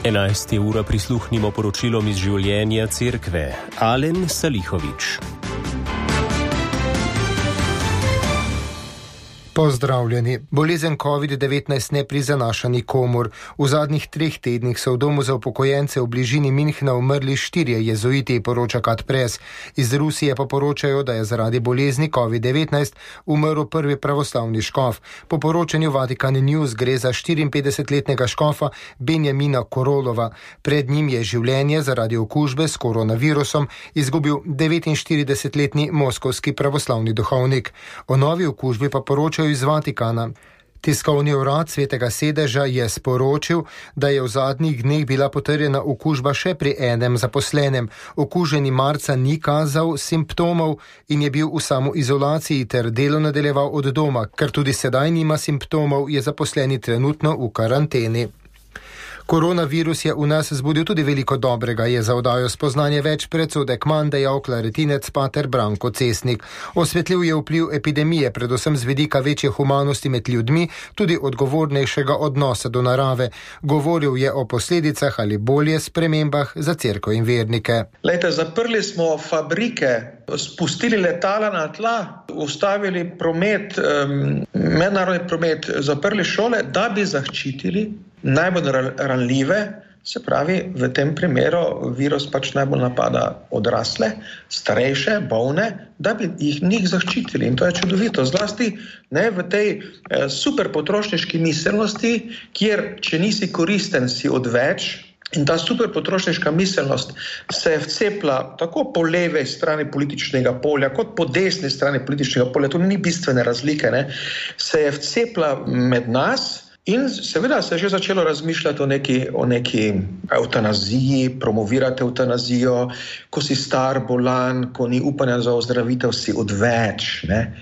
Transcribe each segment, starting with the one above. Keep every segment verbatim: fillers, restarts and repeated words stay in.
enajsta ura prisluhnimo poročilom iz življenja cerkve. Alen Salihovič. Pozdravljeni. Bolezen covid devetnajst ne prizanaša nikomur. V zadnjih treh tednih so v domu za upokojence v bližini Münchna umrli štirje jezuiti, poroča Kat Press. Iz Rusije pa poročajo, da je zaradi bolezni covid devetnajst umrl prvi pravoslavni škof. Po poročanju Vatikan News gre za štiriinpetdesetletnega škofa Benjamina Korolova. Pred njim je življenje zaradi okužbe s koronavirusom izgubil devetinštiridesetletni moskovski pravoslavni duhovnik. O novi okužbi pa poročajo iz Vatikana. Tiskovni urad Svetega sedeža je sporočil, da je v zadnjih dneh bila potrjena okužba še pri enem zaposlenem. Okuženi marca ni kazal simptomov in je bil v samoizolaciji ter delo nadaljeval od doma. Ker tudi sedaj nima simptomov, je zaposleni trenutno v karanteni. Koronavirus je v nas zbudil tudi veliko dobrega, je za oddajo Spoznanje več predsodek manj dejal klaritinec pater Branko Cesnik. Osvetlil je vpliv epidemije, predvsem z vidika večje humanosti med ljudmi, tudi odgovornejšega odnosa do narave. Govoril je o posledicah ali bolje spremembah za cerkev in vernike. Lejte, zaprli smo fabrike, spustili letala na tla, ustavili promet, um, mednarodni promet, zaprli šole, da bi zaščitili najbolj ranljive, se pravi, v tem primeru virus pač najbolj napada odrasle, starejše, bolne, da bi jih njih zaščitili. In to je čudovito, zlasti ne, v tej eh, super potrošniški miselnosti, kjer, če nisi koristen, si odveč. In ta super potrošniška miselnost se je vcepla tako po leve strani političnega polja, kot po desni strani političnega polja, tu ni bistvene razlike, ne, se je vcepla med nas. In seveda se je že začelo razmišljati o neki, o neki evtanaziji, promovirati evtanazijo, ko si star, bolan, ko ni upanja za ozdravitev, si odveč. Ne?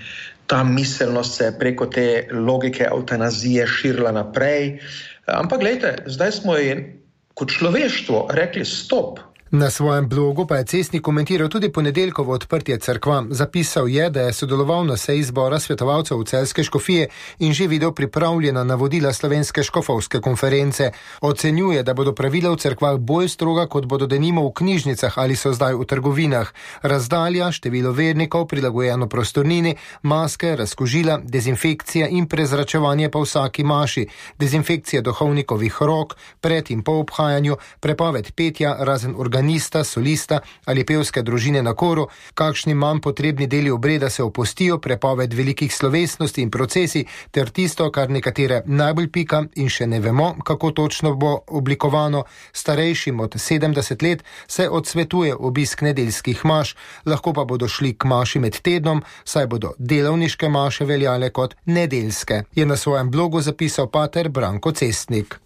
Ta miselnost se je preko te logike evtanazije širila naprej. Ampak glejte, zdaj smo ji kot človeštvo rekli stop. Na svojem blogu pa je Cesnik komentiral tudi ponedeljkovo odprtje cerkva. Zapisal je, da je sodeloval na seji zbora svetovalcev v Celjske škofije in že videl pripravljena navodila slovenske škofovske konference. Ocenjuje, da bodo pravila v cerkvah bolj stroga, kot bodo denimo v knjižnicah ali so zdaj v trgovinah. Razdalja, število vernikov, prilagojeno prostornini, maske, razkužila, dezinfekcija in prezračevanje po vsaki maši, dezinfekcija duhovnikovih rok, pred in po obhajanju, prepoved petja razen organizacije, solista ali pevske družine na koru, kakšni manj potrebni deli obreda se opustijo, prepoved velikih slovesnosti in procesi, ter tisto, kar nekatere najbolj pika in še ne vemo, kako točno bo oblikovano, starejšim od sedemdeset let se odsvetuje obisk nedeljskih maš, lahko pa bodo šli k maši med tednom, saj bodo delovniške maše veljale kot nedeljske, je na svojem blogu zapisal pater Branko Cesnik.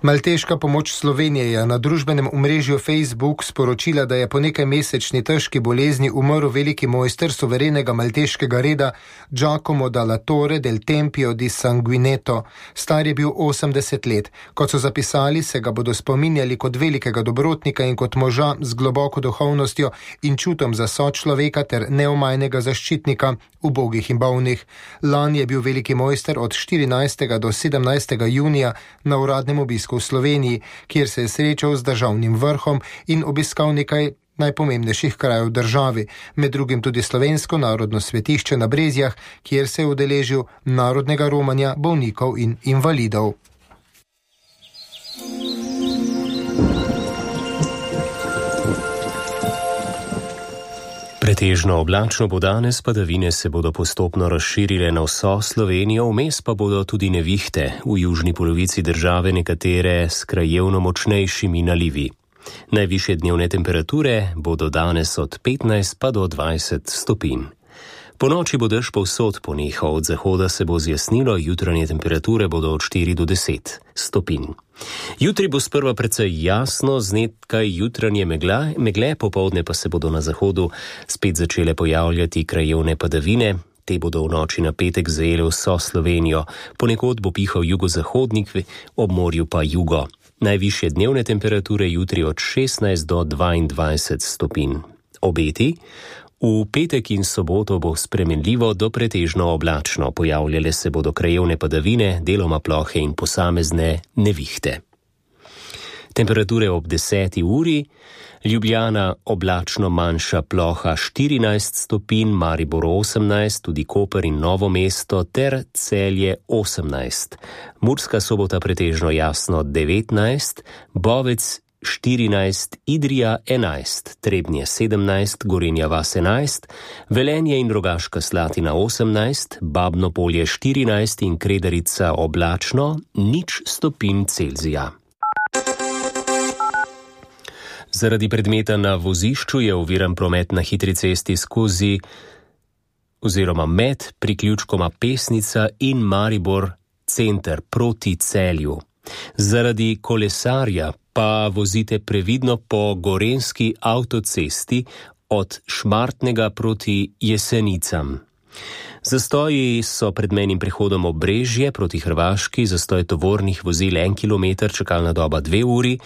Malteška pomoč Slovenije je na družbenem omrežju Facebook sporočila, da je po nekaj mesečni težki bolezni umrl veliki mojster suverenega malteškega reda Giacomo dalla Torre del Tempio di Sanguineto. Star je bil osemdeset let. Kot so zapisali, se ga bodo spominjali kot velikega dobrotnika in kot moža z globoko duhovnostjo in čutom za sočloveka ter neomajnega zaščitnika ubogih in bolnih. Lani je bil veliki mojster od štirinajstega do sedemnajstega junija na uradnem obisku v Sloveniji, kjer se je srečal z državnim vrhom in obiskal nekaj najpomembnejših krajev v državi, med drugim tudi slovensko narodno svetišče na Brezjah, kjer se je udeležil narodnega romanja bolnikov in invalidov. Pretežno oblačno bo danes, padavine se bodo postopno razširile na vso Slovenijo, vmes pa bodo tudi nevihte, v južni polovici države nekatere s krajevno močnejšimi nalivi. Najvišje dnevne temperature bodo danes od petnajst pa do dvajset stopinj. Po noči bo dež povsod ponehal, od zahoda se bo zjasnilo, jutranje temperature bodo od štiri do deset stopinj. Jutri bo sprva precej jasno, z nekaj jutranje megla, megle, popoldne pa se bodo na zahodu spet začele pojavljati krajevne padavine. Te bodo v noči na petek zajele vso Slovenijo, ponekod bo pihal jugozahodnik, ob morju pa jugo. Najvišje dnevne temperature jutri od šestnajst do dvaindvajset stopinj. Obeti? V petek in soboto bo spremenljivo do pretežno oblačno, pojavljale se bodo krajevne padavine, deloma plohe in posamezne nevihte. Temperature ob deseti uri, Ljubljana oblačno manjša ploha štirinajst stopinj, Maribor osemnajst, tudi Koper in Novo mesto ter Celje osemnajst. Murska Sobota pretežno jasno devetnajst, Bovec štirinajst, Idrija enajst, Trebnje sedemnajst, Gorenja vas enajst, Velenje in Rogaška Slatina osemnajst, Babno Polje štirinajst in Kredarica oblačno nič stopinj Celzija. Zaradi predmeta na vozišču je oviran promet na hitri cesti skozi oziroma med priključkoma Pesnica in Maribor center proti Celju. Zaradi kolesarja pa vozite previdno po gorenjski avtocesti od Šmartnega proti Jesenicam. Zastoji so pred mejnim prehodom Obrežje proti Hrvaški, zastoj tovornih vozil en kilometer, čakalna doba dve uri,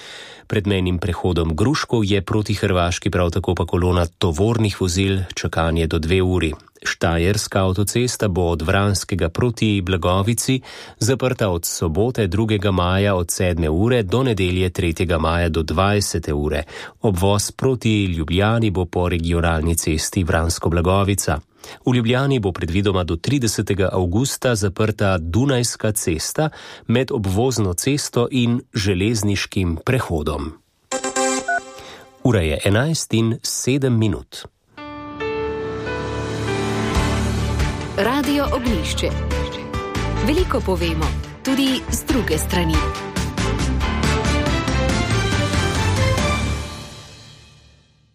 pred mejnim prehodom Gruškov je proti Hrvaški prav tako pa kolona tovornih vozil, čakanje do dve uri. Štajerska avtocesta bo od Vranskega proti Blagovici zaprta od sobote drugega maja od sedme ure do nedelje tretjega maja do dvajsete ure. Obvoz proti Ljubljani bo po regionalni cesti Vransko-Blagovica. V Ljubljani bo predvidoma do tridesetega avgusta zaprta Dunajska cesta med obvozno cesto in železniškim prehodom. Ura je enajst in sedem minut. Radio Ognjišče. Veliko povemo, tudi z druge strani.